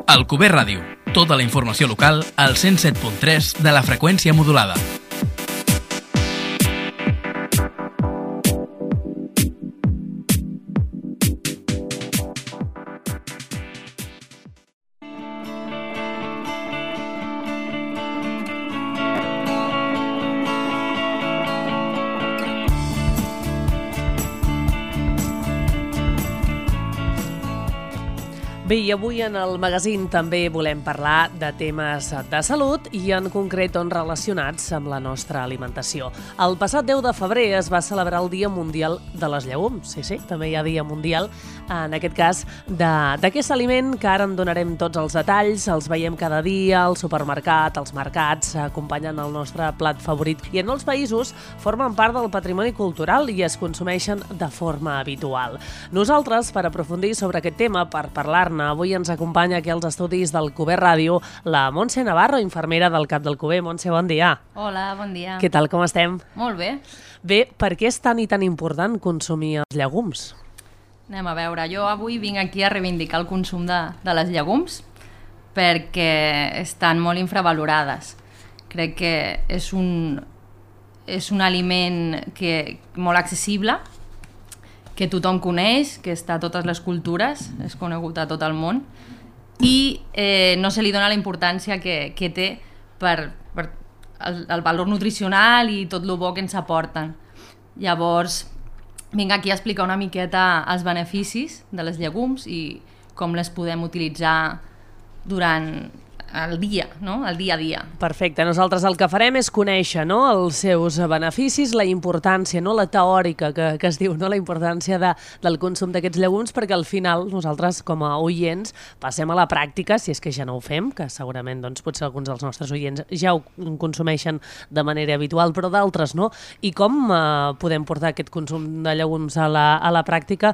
Alcover Ràdio. Tota la informació local al 107.3 de la freqüència modulada. Bé, i avui en el magazín també volem parlar de temes de salut i en concret relacionats amb la nostra alimentació. El passat 10 de febrer es va celebrar el Dia Mundial de les Llegums. Sí, també hi ha Dia Mundial, en aquest cas, d'aquest aliment que ara en donarem tots els detalls, els veiem cada dia al supermercat, als mercats, acompanyant el nostre plat favorit. I en molts països formen part del patrimoni cultural i es consumeixen de forma habitual. Nosaltres, per aprofundir sobre aquest tema, per parlar-ne, avui ens acompanya aquí als estudis del Alcover Ràdio la Montse Navarro, infermera del CAP d'Alcover. Montse, bon dia. Hola, bon dia. Què tal, com estem? Molt bé. Bé, per què és tan i tan important consumir els llegums? Anem a veure, jo avui vinc aquí a reivindicar el consum de les llegums perquè estan molt infravalorades. Crec que és un aliment molt accessible, que tothom coneix, que està a totes les cultures, és conegut a tot el món, i no se li dona la importància que té per el valor nutricional i tot el bo que ens aporten. Llavors, vinc aquí a explicar una miqueta els beneficis de les llegums i com les podem utilitzar durant el dia, no? El dia a dia. Perfecte. Nosaltres el que farem és conèixer, no?, els seus beneficis, la importància, no?, la teòrica que es diu, no?, la importància del consum d'aquests llegums, perquè al final nosaltres, com a oients, passem a la pràctica, si és que ja no ho fem, que segurament doncs, potser alguns dels nostres oients ja ho consumeixen de manera habitual, però d'altres no. I com podem portar aquest consum de llegums a la pràctica,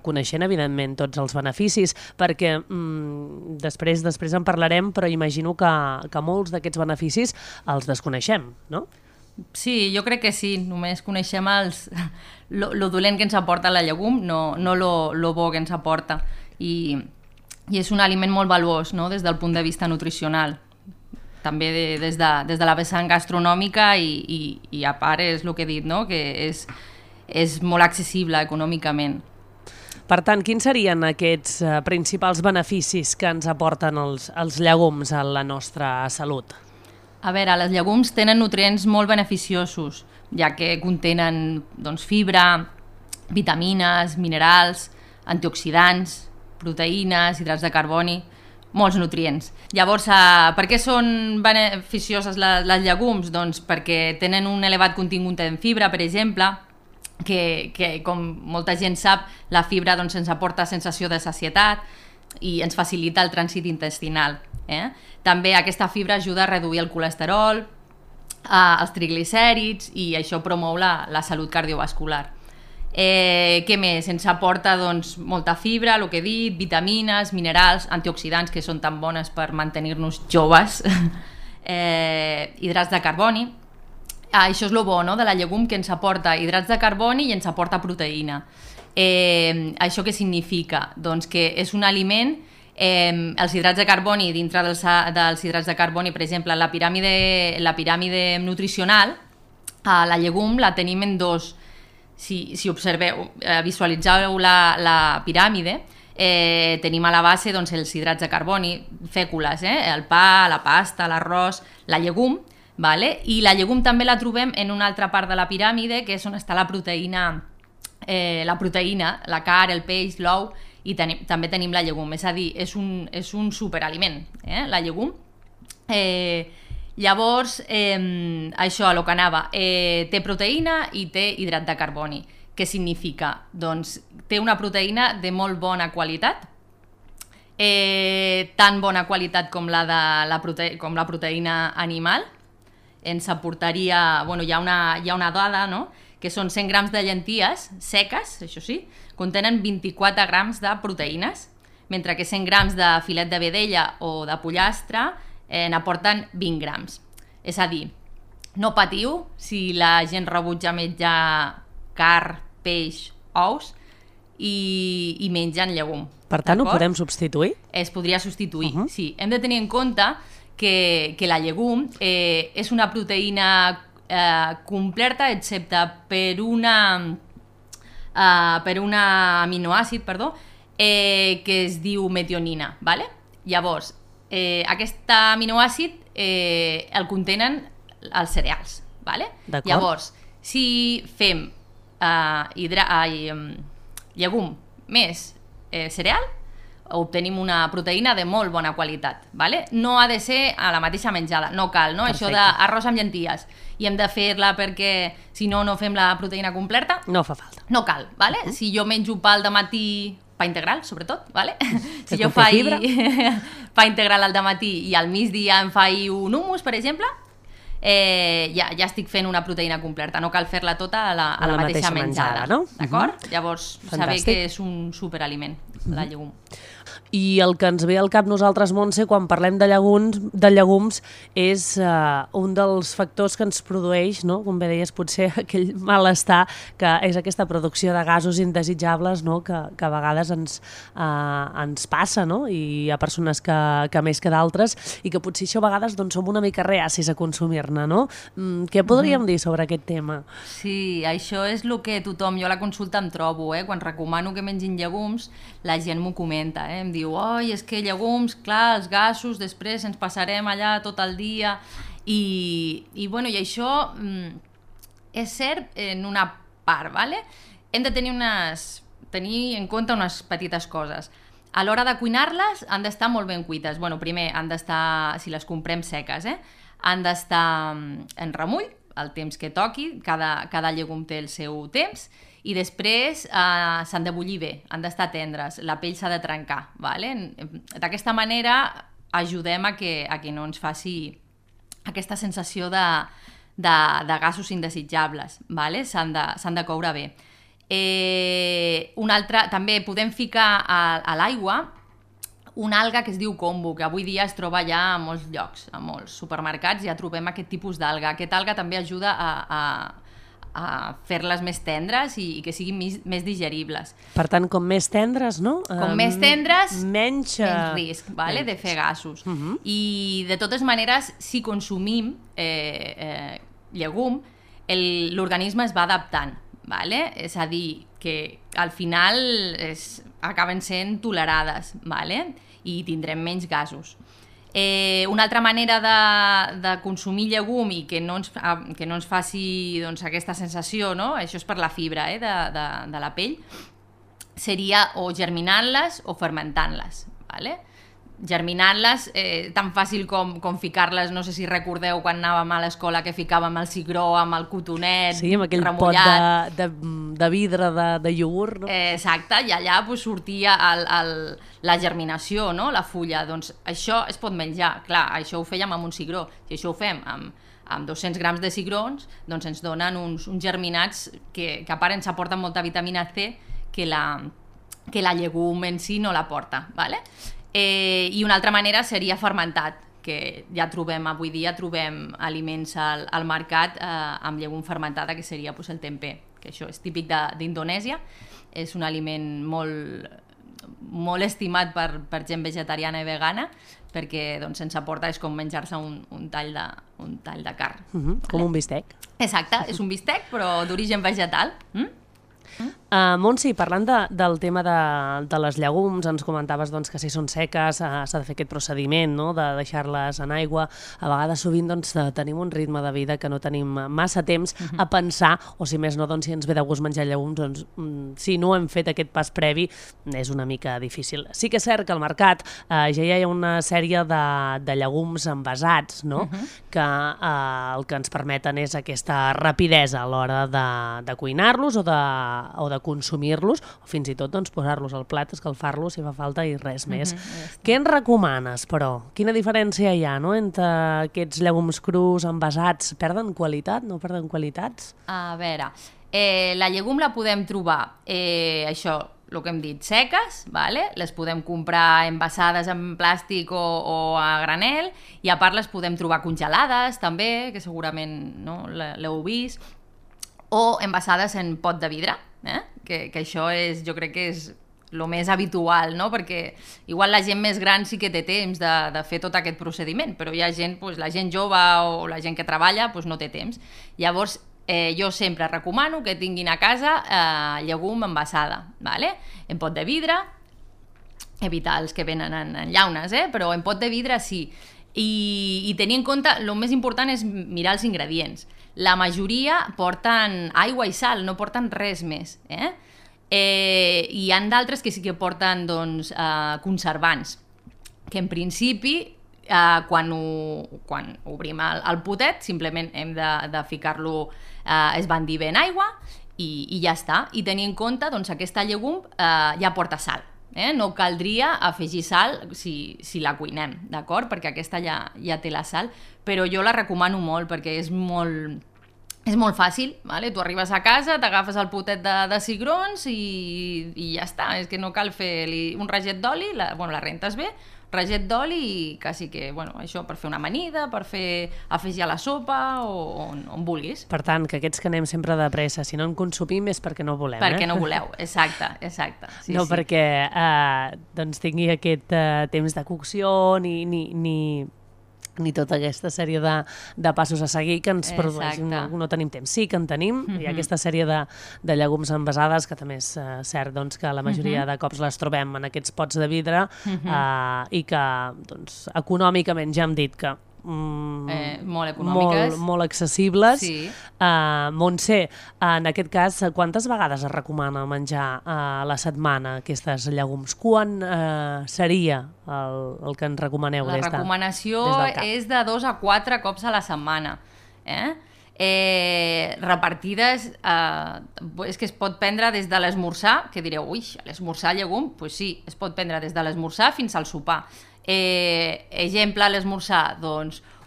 coneixent, evidentment, tots els beneficis, perquè després en parlarem, però imagino que molts d'aquests beneficis els desconeixem, no? Sí, jo crec que sí. Només coneixem lo dolent que ens aporta la llegum, no lo bo que ens aporta. I és un aliment molt valuós, no?, des del punt de vista nutricional. També des de la vessant gastronòmica i a part és el que he dit, no?, que és molt accessible econòmicament. Per tant, quins serien aquests principals beneficis que ens aporten els llegums a la nostra salut? A veure, les llegums tenen nutrients molt beneficiosos, ja que contenen fibra, vitamines, minerals, antioxidants, proteïnes, hidrats de carboni, molts nutrients. Llavors, per què són beneficioses les llegums? Doncs perquè tenen un elevat contingut en fibra, per exemple, que com molta gent sap, la fibra ens aporta sensació de sacietat i ens facilita el trànsit intestinal. També aquesta fibra ajuda a reduir el colesterol, els triglicèrids, i això promou la salut cardiovascular. Què més? Ens aporta molta fibra, el que he dit, vitamines, minerals, antioxidants, que són tan bones per mantenir-nos joves, hidrats de carboni. Això és el bo, no?, de la llegum, que ens aporta hidrats de carboni i ens aporta proteïna. Això què significa? Doncs que és un aliment, els hidrats de carboni, dintre dels hidrats de carboni, per exemple, la piràmide nutricional, la llegum la tenim en dos. Si observeu, visualitzeu la piràmide, tenim a la base els hidrats de carboni, fècules, el pa, la pasta, l'arròs, la llegum, i la llegum també la trobem en una altra part de la piràmide, que és on està la proteïna, la carn, el peix, l'ou, i també tenim la llegum. És a dir, és un superaliment, la llegum. Llavors, això, el que anava, té proteïna i té hidrat de carboni. Què significa? Doncs té una proteïna de molt bona qualitat, tan bona qualitat com la proteïna animal. Ens aportaria, hi ha una dada, no?, que són 100 grams de llenties seques, això sí, contenen 24 grams de proteïnes, mentre que 100 grams de filet de vedella o de pollastre n'aporten 20 grams. És a dir, no patiu si la gent rebutja menjar carn, peix, ous, i mengen llegum. Per tant, ho podem substituir? Es podria substituir, sí. Hem de tenir en compte que la llegum és una proteïna completa, excepte per un aminoàcid, que es diu metionina, ¿vale? Llavors, aquest aminoàcid el contenen els cereals, ¿vale? Llavors, si fem llegum més cereal, obtenim una proteïna de molt bona qualitat, ¿vale? No ha de ser a la mateixa menjada, no cal, no? Això d'arròs amb llenties i hem de fer-la perquè si no, no fem la proteïna completa. No fa falta. No cal, ¿vale? Si jo menjo pa al dematí, pa integral, sobretot, ¿vale? Si jo faig pa integral al dematí i al migdia em faig un hummus, per exemple, ja estic fent una proteïna completa, no cal fer-la tota a la mateixa menjada, no? D'acord? Llavors, saber que és un superaliment, la llegum. I el que ens ve al cap nosaltres, Montse, quan parlem de llegums, és un dels factors que ens produeix, no? Com bé deies, potser aquell malestar, que és aquesta producció de gasos indesitjables, no? Que a vegades ens passa, no? I hi ha persones que més que d'altres, i que potser això a vegades doncs, som una mica reacis a consumir-ne, no? Què podríem dir sobre aquest tema? Sí, això és el que tothom, jo a la consulta em trobo, quan recomano que mengin llegums, la gent m'ho comenta, em diu, oi, és que llegums, clar, els gasos, després ens passarem allà tot el dia, i això és cert en una part, ¿vale? Hem de tenir en compte unes petites coses. A l'hora de cuinar-les han d'estar molt ben cuites. Bueno, primer han d'estar, si les comprem seques, han d'estar en remull, el temps que toqui, cada llegum té el seu temps, i després s'han de bullir bé, han d'estar tendres, la pell s'ha de trencar, ¿vale? D'aquesta manera ajudem a que no ens faci aquesta sensació de gasos indesitjables, ¿vale? S'han de coure bé. També podem ficar a l'aigua una alga que es diu kombu, que avui dia es troba ja a molts llocs, a molts supermercats ja trobem aquest tipus d'alga. Aquesta alga també ajuda a fer-les més tendres i que siguin més digeribles. Per tant, com més tendres, no? Com més tendres, menys risc, vale? De fer gasos. I de totes maneres, si consumim llegum, l'organisme es va adaptant, vale? És a dir, que al final acaben sent tolerades, vale? I tindrem menys gasos. Una altra manera de consumir llegum i que no ens faci aquesta sensació, no? Això és per la fibra de la pell, seria o germinant-les o fermentant-les, ¿vale? Germinant-les, tan fàcil com ficar-les, no sé si recordeu quan anàvem a l'escola que ficàvem el cigró amb el cotonet remullat. Sí, amb aquell pot de vidre de iogurt, no? Exacte, i allà sortia la germinació, no? La fulla. Doncs això es pot menjar. Clar, això ho fèiem amb un cigró. Si això ho fem amb 200 grams de cigrons, doncs ens donen uns germinats que a part ens aporten molta vitamina C que la llegum en si no l'aporta, ¿vale? I una altra manera seria fermentat, que ja avui dia trobem aliments al mercat amb llegum fermentada, que seria el tempeh, que això és típic d'Indonèsia, és un aliment molt estimat per gent vegetariana i vegana, perquè ens aporta, és com menjar-se un tall de carn. Com un bistec. Exacte, és un bistec però d'origen vegetal. Montse, parlant del tema de les llegums, ens comentaves que si són seques s'ha de fer aquest procediment, no? De deixar-les en aigua. A vegades sovint tenim un ritme de vida que no tenim massa temps a pensar, o si més no, si ens ve de gust menjar llegums, si no hem fet aquest pas previ és una mica difícil. Sí que és cert que al mercat ja hi ha una sèrie de llegums envasats, no? Que el que ens permeten és aquesta rapidesa a l'hora de cuinar-los o de consumir-los, o fins i tot posar-los al plat, escalfar-los si fa falta i res més. Què ens recomanes, però? Quina diferència hi ha, no?, entre aquests llegums crus envasats? Perden qualitat? No perden qualitats? A veure, la llegum la podem trobar, això, el que hem dit, seques, vale? Les podem comprar envasades en plàstic o a granel, i a part les podem trobar congelades també, que segurament no l'heu vist, o envasades en pot de vidre, que això jo crec que és el més habitual, no? Perquè igual la gent més gran sí que té temps de fer tot aquest procediment, però hi ha gent, la gent jove o la gent que treballa no té temps. Llavors, jo sempre recomano que tinguin a casa llegum envasada, ¿vale? En pot de vidre, evitar els que venen en llaunes, però en pot de vidre sí. I tenir en compte, el més important és mirar els ingredients. La majoria porten aigua i sal, no porten res més. Hi han d'altres que sí que porten conservants, que en principi, quan obrim el potet, simplement hem de ficar-lo, esbandir bé en aigua i ja està. I tenir en compte, aquesta llegum ja porta sal. No caldria afegir sal si la cuinem, d'acord? Perquè aquesta ja té la sal, però jo la recomano molt perquè és molt fàcil, ¿vale? Tu arribes a casa, t'agafes el potet de cigrons i ja està, és que no cal fer un raget d'oli, la rentes bé, raget d'oli i quasi que, això per fer una amanida, per afegir a la sopa o on vulguis. Per tant, que aquests que anem sempre de pressa, si no en consumim és perquè no volem. Perquè no voleu, exacte. Sí, no sí. Perquè tingui aquest temps de cocció ni tota aquesta sèrie de passos a seguir que ens produeix. No tenim temps. Sí que en tenim. Hi ha aquesta sèrie de llegums envasades, que també és cert que la majoria de cops les trobem en aquests pots de vidre i que econòmicament ja hem dit que molt econòmiques, molt accessibles. Sí. Montse, en aquest cas, quantes vegades es recomana menjar a la setmana aquestes llegums? Quan seria el que ens recomaneu? La recomanació és de 2 a 4 cops a la setmana. Repartides, és que es pot prendre des de l'esmorzar, que direu, ui, l'esmorzar llegum? Doncs sí, es pot prendre des de l'esmorzar fins al sopar. Exemple, a l'esmorzar,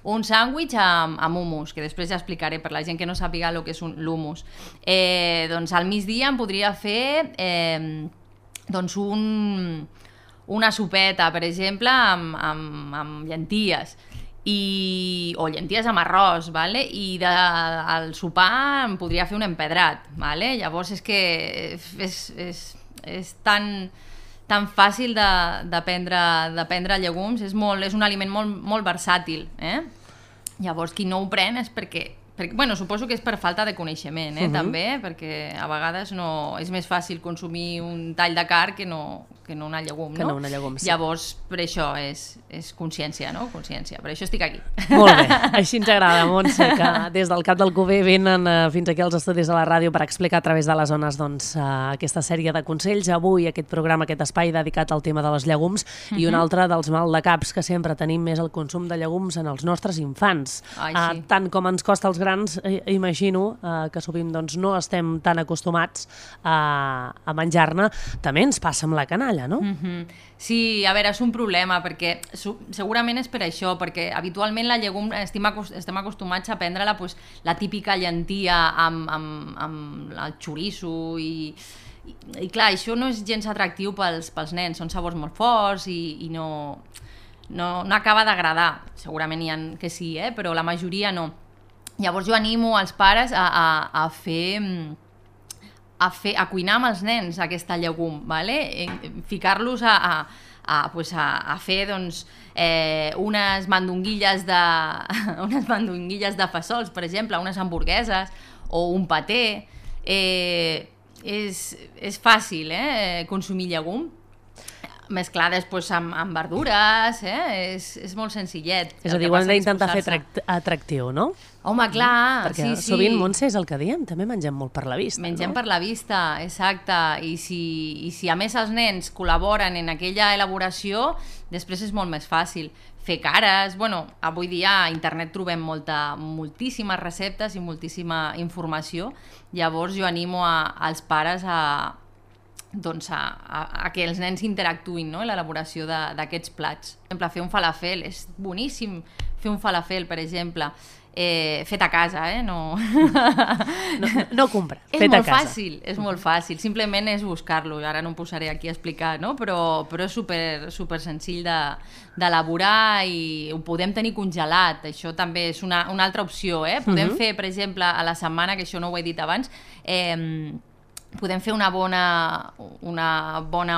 un sàndwich amb hummus, que després ja explicaré per la gent que no sàpiga el que és l'hummus. Al migdia em podria fer una sopeta, per exemple, amb llenties, o llenties amb arròs, ¿vale? I al sopar em podria fer un empedrat, ¿vale? Llavors és que és tan fàcil de prendre llegums, és un aliment molt versàtil. Llavors, qui no ho pren és perquè suposo que és per falta de coneixement, també, perquè a vegades és més fàcil consumir un tall de carn que no una llegum, no? Que no una llegum, sí. Llavors, per això és consciència, no? Consciència. Per això estic aquí. Molt bé. Així ens agrada, Montse, que des del Cap d'Alcover venen fins aquí als estudis de la ràdio per explicar a través de les zones aquesta sèrie de consells. Avui aquest programa, aquest espai dedicat al tema de les llegums i un altre dels maldecaps que sempre tenim més el consum de llegums en els nostres infants. Sí. Tant com ens costa als grans, imagino que sovint no estem tan acostumats a menjar-ne. També ens passa amb la canalla, no? Sí, a veure, és un problema, perquè segurament és per això, perquè habitualment la llegum estem acostumats a prendre-la la típica llentia amb el xoriço i clar, això no és gens atractiu pels nens, són sabors molt forts i no acaba d'agradar. Segurament hi ha que sí, però la majoria no. Llavors jo animo els pares a cuinar amb els nens aquesta llegum, ¿vale? Ficar-los a fer unes mandonguilles de fesols, per exemple, unes hamburgueses o un paté. És fàcil consumir llegum mesclades amb verdures, és molt senzillet. És a dir, ho hem d'intentar fer atractiu, no? Home, clar, perquè sí. Sovint, Montse, és el que diem, també mengem molt per la vista. Mengem per la vista, exacte. I si a més els nens col·laboren en aquella elaboració, després és molt més fàcil. Fer cares, avui dia a internet trobem moltíssimes receptes i moltíssima informació. Llavors jo animo als pares doncs a que els nens interactuïn, no?, en l'elaboració d'aquests plats. Per exemple, fer un falafel, és boníssim fer un falafel, per exemple, fet a casa, no... no comprar, fet a casa. És molt fàcil, simplement és buscar-lo, ara no em posaré aquí a explicar, no? Però és super senzill d'elaborar i ho podem tenir congelat, això també és una altra opció, podem fer, per exemple, a la setmana, que això no ho he dit abans, podem fer una bona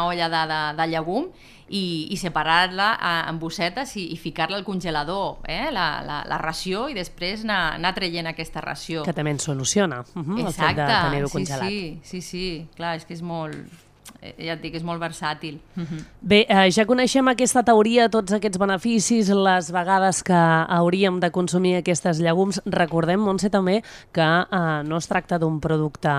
olla de llegum i separar-la en bossetes i ficar-la al congelador, la ració, i després anar traient aquesta ració. Que també ens soluciona el fet de tenir-ho congelat. Sí, clar, és que és molt... Ja et dic, és molt versàtil. Bé, ja coneixem aquesta teoria, tots aquests beneficis, les vegades que hauríem de consumir aquestes llegums. Recordem, Montse, també que no es tracta d'un producte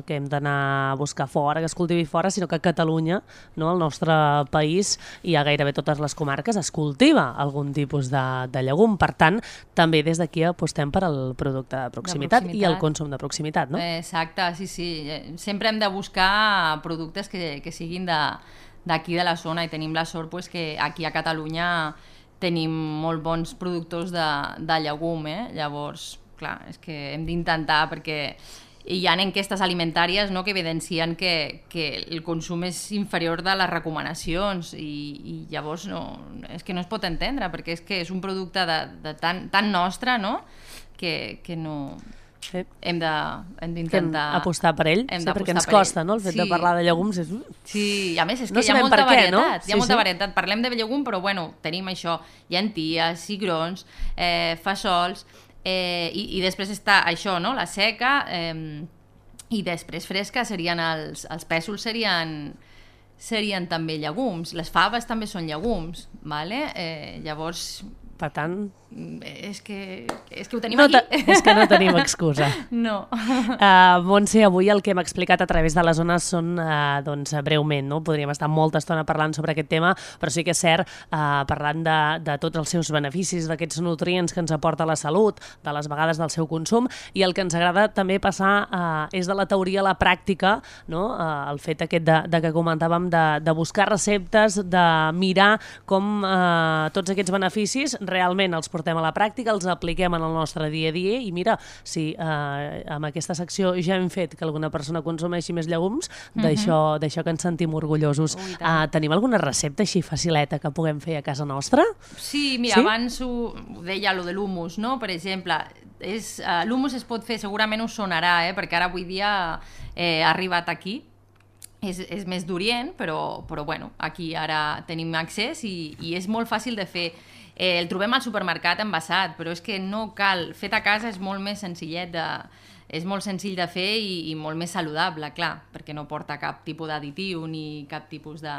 que hem d'anar a buscar fora, que es cultivi fora, sinó que a Catalunya, no, al nostre país, i a gairebé totes les comarques, es cultiva algun tipus de llegum. Per tant, també des d'aquí apostem per al producte de proximitat i el consum de proximitat, no? Exacte, sí. Sempre hem de buscar productes que siguin d'aquí de la zona, i tenim la sort que aquí a Catalunya tenim molt bons productors de llegum, llavors, clar, és que hem d'intentar, perquè hi ha enquestes alimentàries, no?, que evidencien que el consum és inferior de les recomanacions, i llavors és que no es pot entendre, perquè és que és un producte tan nostre, no?, que no... Sí. Hem d'intentar apostar per ell, perquè ens costa, no? El fet de parlar de llegums és... Sí, i a més és que hi ha molta varietat, hi ha molta varietat. Parlem de llegum, però bueno, tenim això, llenties, cigrons, fesols, i després està això, no?, la seca, i després fresca serien els pèsols, serien també llegums. Les faves també són llegums, vale? Llavors... Per tant... És que ho tenim aquí. És que no tenim excusa. No. Montse, avui el que hem explicat a través de les zones són, doncs, breument, no? Podríem estar molta estona parlant sobre aquest tema, però sí que és cert, parlant de tots els seus beneficis, d'aquests nutrients que ens aporta la salut, de les vegades del seu consum, i el que ens agrada també passar és de la teoria a la pràctica, no? El fet aquest de que comentàvem de buscar receptes, de mirar com tots aquests beneficis realment els portem a la pràctica, els apliquem en el nostre dia a dia, i mira, si amb aquesta secció ja hem fet que alguna persona consumeixi més llegums, d'això que ens sentim orgullosos. Tenim alguna recepta així facileta que puguem fer a casa nostra? Sí, mira, abans ho deia, lo de l'humus, no? Per exemple, l'humus es pot fer, segurament us sonarà, perquè ara avui dia ha arribat aquí, és més d'Orient, però bueno, aquí ara tenim accés i és molt fàcil de fer. El trobem al supermercat envasat, però és que no cal. Fet a casa és molt més senzillet és molt senzill de fer i molt més saludable, clar, perquè no porta cap tipus d'additiu ni cap tipus de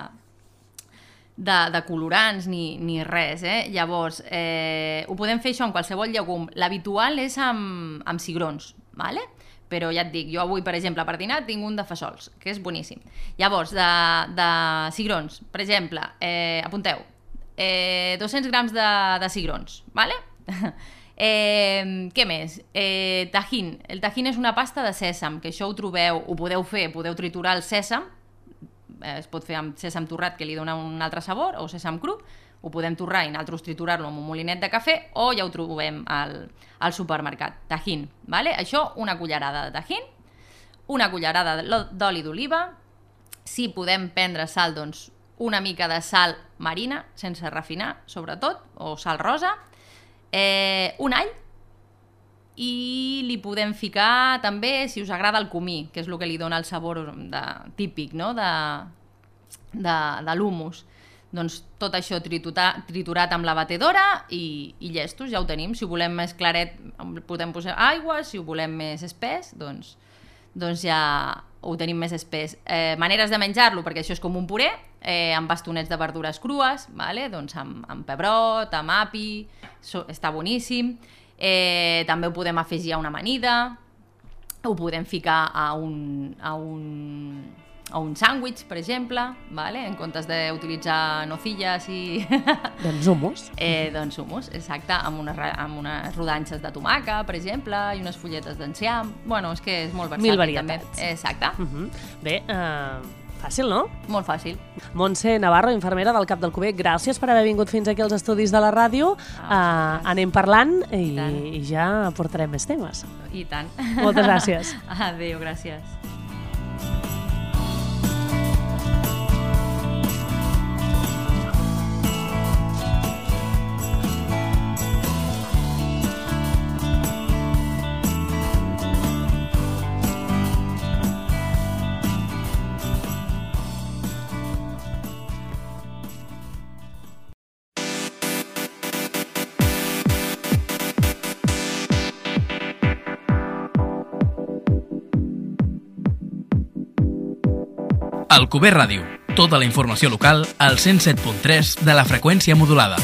colorants ni res, Llavors, ho podem fer això amb qualsevol llegum. L'habitual és amb cigrons, vale? Però ja et dic, jo avui, per exemple, per dinar tinc un de fesols, que és boníssim. Llavors, de cigrons, per exemple, apunteu, 200 grams de cigrons, ¿vale? Què més? Tajín. El tajín és una pasta de sèsam, que això ho podeu fer, podeu triturar el sèsam, es pot fer amb sèsam torrat, que li dona un altre sabor, o sèsam cru, ho podem torrar i nosaltres triturar-lo amb un molinet de cafè, o ja ho trobem al supermercat. Tajín, ¿vale? Això, una cullerada de tajín, una cullerada d'oli d'oliva, si podem prendre sal, doncs una mica de sal marina, sense refinar, sobretot, o sal rosa, un all, i li podem ficar també, si us agrada, el comí, que és el que li dona el sabor típic, no?, de l'humus. Doncs tot això triturat amb la batedora i llestos, ja ho tenim. Si ho volem més claret, podem posar aigua, si ho volem més espès, doncs ja ho tenim més espès. Maneres de menjar-lo, perquè això és com un puré, amb bastonets de verdures crues, vale? Doncs amb pebrot, amb api, està boníssim. També ho podem afegir a una amanida, ho podem ficar a un sàndwich, per exemple, vale? En comptes d'utilitzar nocillas i... Doncs hummus. Doncs hummus, exacte, amb unes rodanxes de tomaca, per exemple, i unes fulletes d'enciam. Bueno, és que és molt versàtil. Mil varietats. També. Exacte. Bé, Fàcil, no? Molt fàcil. Montse Navarro, infermera del CAP d'Alcover, gràcies per haver vingut fins aquí als estudis de la ràdio. Anem parlant i ja portarem més temes. I tant. Moltes gràcies. Adéu, gràcies. Alcover Ràdio. Tota la informació local al 107.3 de la freqüència modulada.